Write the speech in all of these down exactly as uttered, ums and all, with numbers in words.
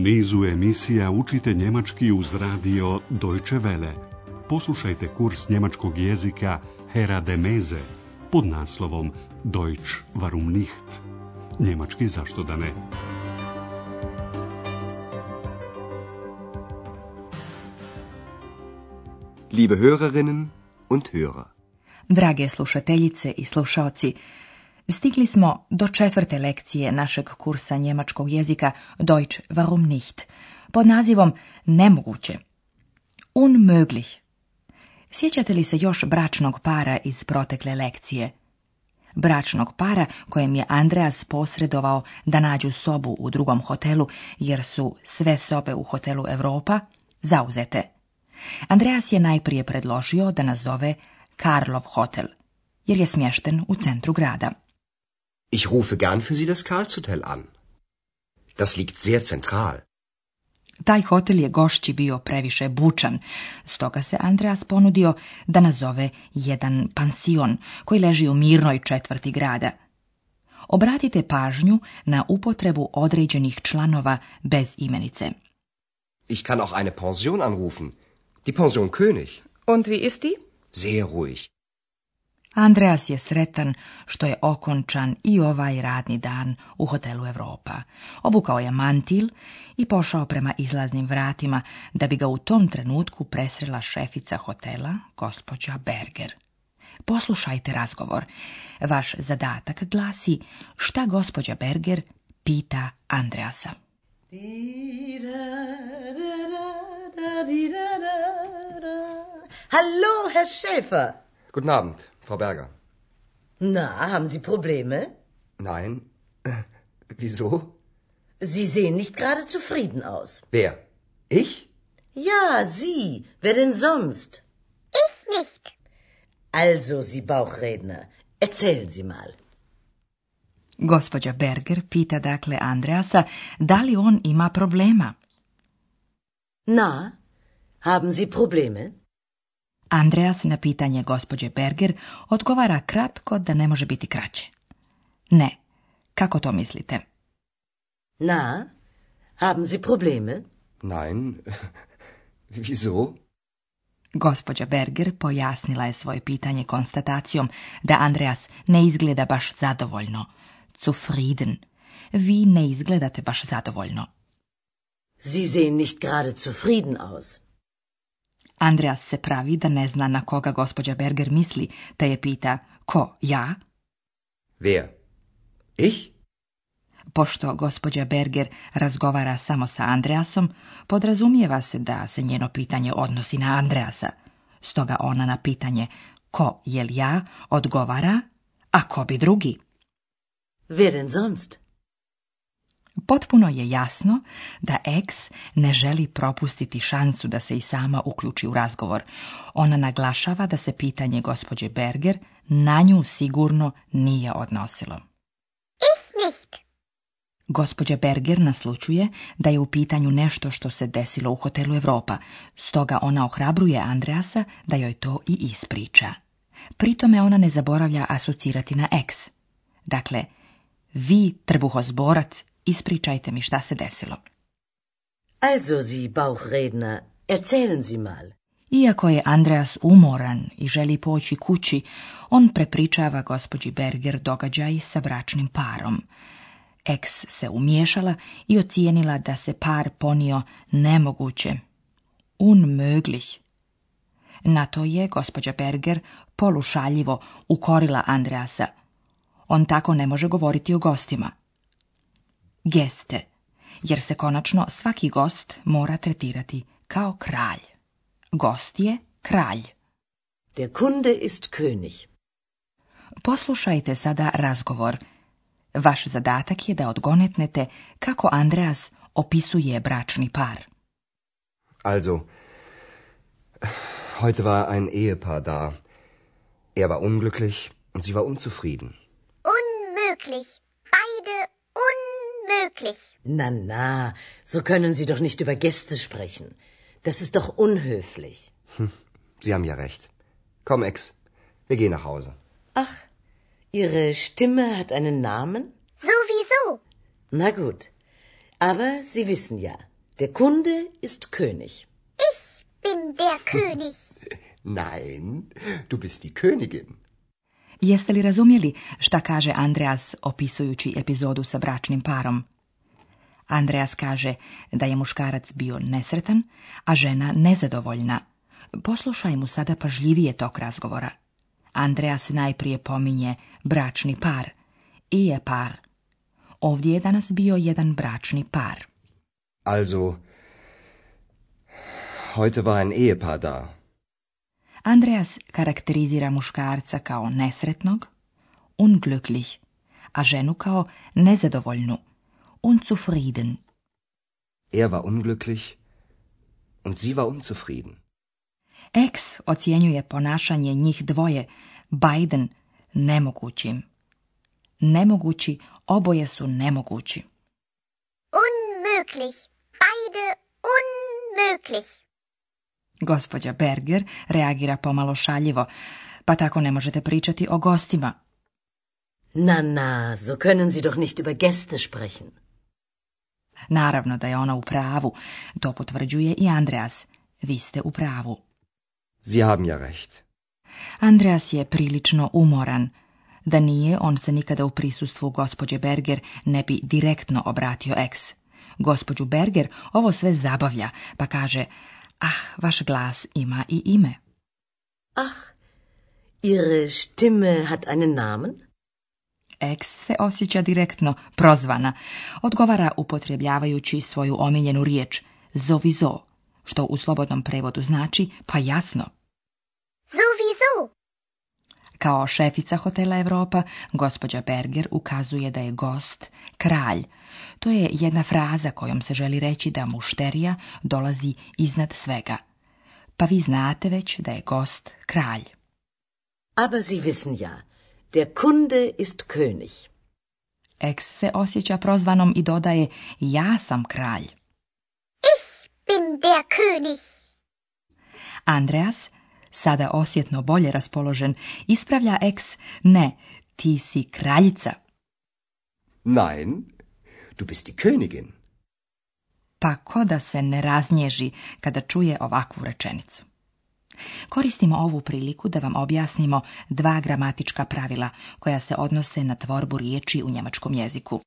nizu emisija učite njemački uz radio Deutsche Welle. Poslušajte kurs njemačkog jezika Hera de Meze pod naslovom Deutsch warum nicht? Njemački zašto da ne? Liebe Hörerinnen und Hörer. Drage slušateljice i slušaoci, stigli smo do četvrte lekcije našeg kursa njemačkog jezika Deutsch warum nicht, pod nazivom Nemoguće. Unmöglich. Sjećate li se još bračnog para iz protekle lekcije? Bračnog para kojem je Andreas posredovao da nađu sobu u drugom hotelu, jer su sve sobe u hotelu Europa zauzete. Andreas je najprije predložio da nazove Karlov hotel, jer je smješten u centru grada. Ich rufe gern für Sie das Karlshotel an. Das liegt sehr zentral. Taj hotel je gošći bio previše bučan, stoga se Andreas ponudio da nazove jedan pansion koji leži u mirnoj četvrti grada. Obratite pažnju na upotrebu određenih članova bez imenice. Ich kann auch eine Pension anrufen. Die Pension König. Und wie ist die? Sehr ruhig. Andreas je sretan što je okončan i ovaj radni dan u hotelu Europa. Obukao je mantil i pošao prema izlaznim vratima da bi ga u tom trenutku presrela šefica hotela, gospođa Berger. Poslušajte razgovor. Vaš zadatak glasi šta gospođa Berger pita Andreasa. Hallo, Herr Schäfer. Guten Abend, Frau Berger. Na, haben Sie Probleme? Nein. Wieso? Sie sehen nicht gerade zufrieden aus. Wer? Ich? Ja, Sie. Wer denn sonst? Ich nicht. Also, Sie Bauchredner, erzählen Sie mal. Gospođa Berger pita dakle Andreasa da li on ima problema. Na, haben Sie Probleme? Andreas na pitanje gospođe Berger odgovara kratko da ne može biti kraće. Ne, kako to mislite? Na, haben Sie Probleme? Nein. Wieso? Gospođa Berger pojasnila je svoje pitanje konstatacijom da Andreas ne izgleda baš zadovoljno. Zufrieden. Vi ne izgledate baš zadovoljno. Sie sehen nicht gerade zufrieden aus. Andreas se pravi da ne zna na koga gospođa Berger misli, te je pita, ko, ja? Wer? Ich? Pošto gospođa Berger razgovara samo sa Andreasom, podrazumijeva se da se njeno pitanje odnosi na Andreasa. Stoga ona na pitanje, ko, jel ja, odgovara, a ko bi drugi? Wer denn sonst? Potpuno je jasno da X ne želi propustiti šansu da se i sama uključi u razgovor. Ona naglašava da se pitanje gospođe Berger na nju sigurno nije odnosilo. Ich nicht. Gospođa Berger naslučuje da je u pitanju nešto što se desilo u hotelu Europa, stoga ona ohrabruje Andreasa da joj to i ispriča. Pritome ona ne zaboravlja asocirati na X. Dakle, vi, trbuhozborac, ispričajte mi šta se desilo. Also, Sie Bauchredner, erzählen Sie mal. Iako je Andreas umoran i želi poći kući, on prepričava gospođi Berger događaj sa bračnim parom. X se umiješala i ocijenila da se par ponio nemoguće. Unmöglich. Na to je gospođa Berger polušaljivo ukorila Andreasa. On tako ne može govoriti o gostima. Geste, jer se konačno svaki gost mora tretirati kao kralj. Gost je kralj. Der Kunde ist König. Poslušajte sada razgovor. Vaš zadatak je da odgonetnete kako Andreas opisuje bračni par. Also, heute war ein Ehepaar da. Er war unglücklich und sie war unzufrieden. Unmöglich. Beide unmöglich. Na, na, so können Sie doch nicht über Gäste sprechen. Das ist doch unhöflich. Hm, Sie haben ja recht. Komm, Ex, wir gehen nach Hause. Ach, Ihre Stimme hat einen Namen? Sowieso. Na gut, aber Sie wissen ja, Der Kunde ist König. Ich bin der König. Nein, du bist die Königin. Jeste li razumjeli šta kaže Andreas opisujući epizodu sa bračnim parom? Andreas kaže da je muškarac bio nesretan, a žena nezadovoljna. Poslušaj mu sada pažljivije tok razgovora. Andreas najprije pominje bračni par, Ehepar. Ovdje je danas bio jedan bračni par. Also, heute war ein Ehepaar da. Andreas karakterizira muškarca kao nesretnog, unglücklich, a ženu kao nezadovoljnu, unzufrieden. Er war unglücklich und sie war unzufrieden. Ex ocjenjuje ponašanje njih dvoje, beiden, nemogućim. Nemogući, oboje su nemogući. Unmöglich. Beide unmöglich. Gospođa Berger reagira pomalo šaljivo, pa tako ne možete pričati o gostima. Na, na, so können Sie doch nicht über Gäste sprechen. Naravno da je ona u pravu, to potvrđuje i Andreas. Vi ste u pravu. Sie haben ja recht. Andreas je prilično umoran. Da nije, on se nikada u prisustvu gospođe Berger ne bi direktno obratio ex. Gospođu Berger ovo sve zabavlja, pa kaže: ah, vaš glas ima i ime. Ach, Ihre Stimme hat einen Namen? Ex se osjeća direktno prozvana. Odgovara upotrebljavajući svoju omiljenu riječ sowieso, što u slobodnom prevodu znači pa jasno. Sowieso. Kao šefica hotela Europa, gospođa Berger ukazuje da je gost kralj. To je jedna fraza kojom se želi reći da mušterija dolazi iznad svega. Pa vi znate već da je gost kralj. Aber Sie wissen ja, der Kunde ist König. Ex se osjeća prozvanom i dodaje: ja sam kralj. Ich bin der König. Andreas, sada osjetno bolje raspoložen, ispravlja ex: ne, ti si kraljica. Nein, du bist die Königin. Pa ko da se ne raznježi kada čuje ovakvu rečenicu. Koristimo ovu priliku da vam objasnimo dva gramatička pravila koja se odnose na tvorbu riječi u njemačkom jeziku.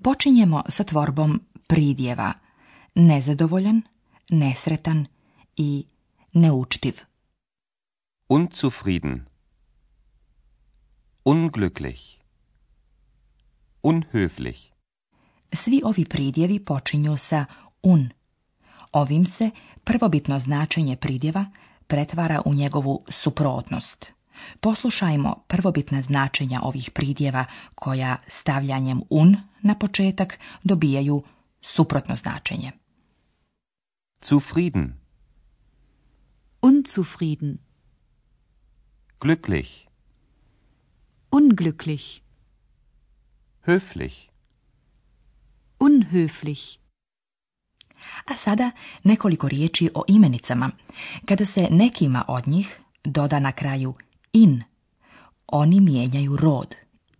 Počinjemo sa tvorbom pridjeva: nezadovoljan, nesretan i neučtiv. Unzufrieden, unglücklich, unhöflich. Svi ovi pridjevi počinju sa un. Ovim se prvobitno značenje pridjeva pretvara u njegovu suprotnost. Poslušajmo prvobitna značenja ovih pridjeva koja stavljanjem un na početak dobijaju suprotno značenje. Zufrieden, Unzufrieden, glücklich, unglücklich, höflich. unhöflich. A sada nekoliko riječi o imenicama. Kada se nekima od njih doda na kraju in, oni mijenjaju rod.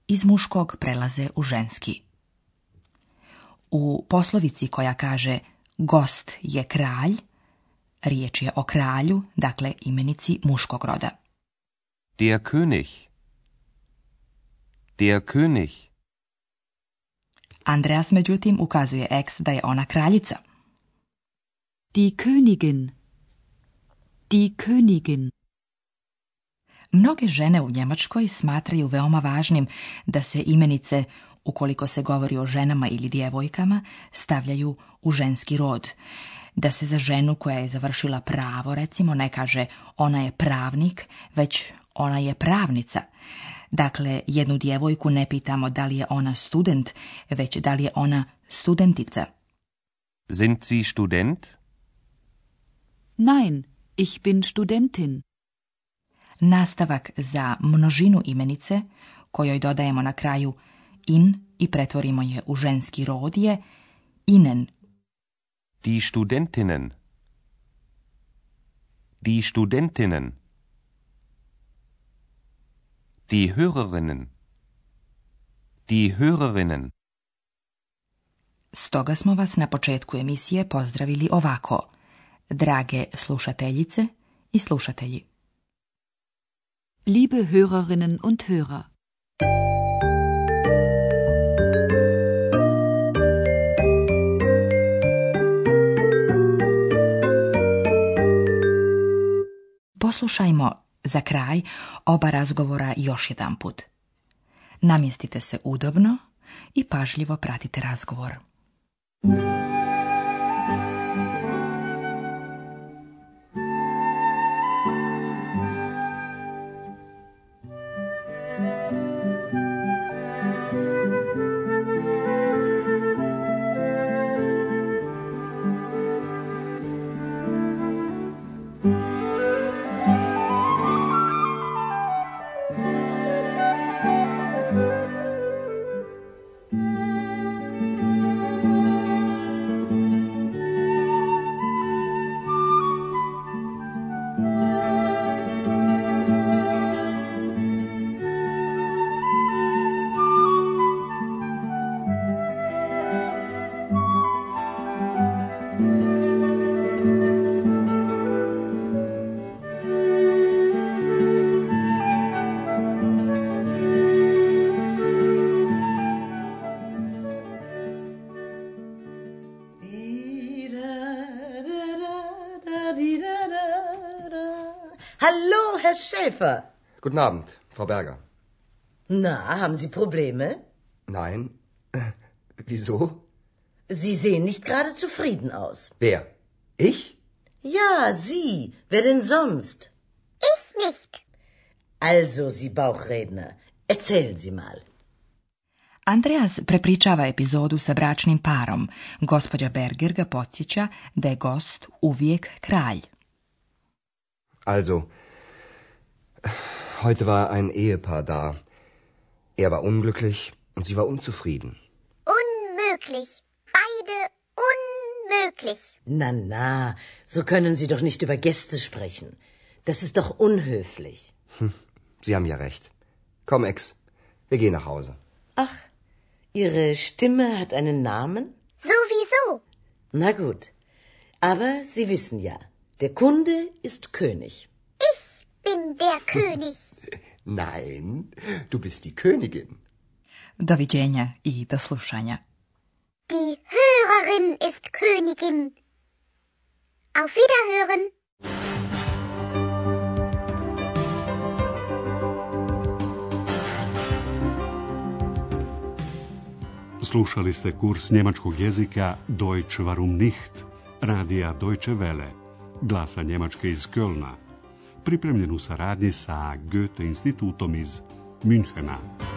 Iz muškog prelaze u ženski. U poslovici koja kaže gost je kralj, riječ je o kralju, dakle imenici muškog roda. Der König, der König. Andreas međutim ukazuje ex da je ona kraljica. Die Königin, die Königin. Mnoge žene u Njemačkoj smatraju veoma važnim da se imenice, ukoliko se govori o ženama ili djevojkama, stavljaju u ženski rod. Da se za ženu koja je završila pravo, recimo, ne kaže ona je pravnik, već ona je pravnica. Dakle, jednu djevojku ne pitamo da li je ona student, već da li je ona studentica. Sind Sie Student? Nein, ich bin Studentin. Nastavak za množinu imenice, kojoj dodajemo na kraju in i pretvorimo je u ženski rod, je ihnen. Die Studentinnen. Die Studentinnen. Die Hörerinnen. Die Hörerinnen. Stoga smo vas na početku emisije pozdravili ovako. Drage slušateljice i slušatelji. Liebe Hörerinnen und Hörer. Poslušajmo za kraj oba razgovora još jedan put. Namjestite se udobno i pažljivo pratite razgovor. Hallo, Herr Schäfer. Guten Abend, Frau Berger. Na, haben Sie Probleme? Nein. Äh, wieso? Sie sehen nicht gerade zufrieden aus. Wer? Ich? Ja, Sie. Wer denn sonst? Ich nicht. Also, Sie Bauchredner, erzählen Sie mal. Andreas prepričava epizodu sa bračnim parom. Gospođa Berger ga podsjeća da je gost uvijek kralj. Also, heute war ein Ehepaar da. Er war unglücklich und sie war unzufrieden. Unmöglich. Beide unmöglich. Na, na, so können Sie doch nicht über Gäste sprechen. Das ist doch unhöflich. Hm, Sie haben ja recht. Komm, Ex, wir gehen nach Hause. Ach, Ihre Stimme hat einen Namen? Sowieso. Na gut, aber Sie wissen ja, der Kunde ist König. Ich bin der König. Nein, du bist die Königin. Doviđenja i do slušanja. Die Hörerin ist Königin. Auf Wiederhören. Slušali ste kurs njemačkog jezika Deutsch warum nicht, radija Deutsche Welle, glasa Njemačke iz Kölna, pripremljen u saradnji sa Goethe institutom iz Münchena.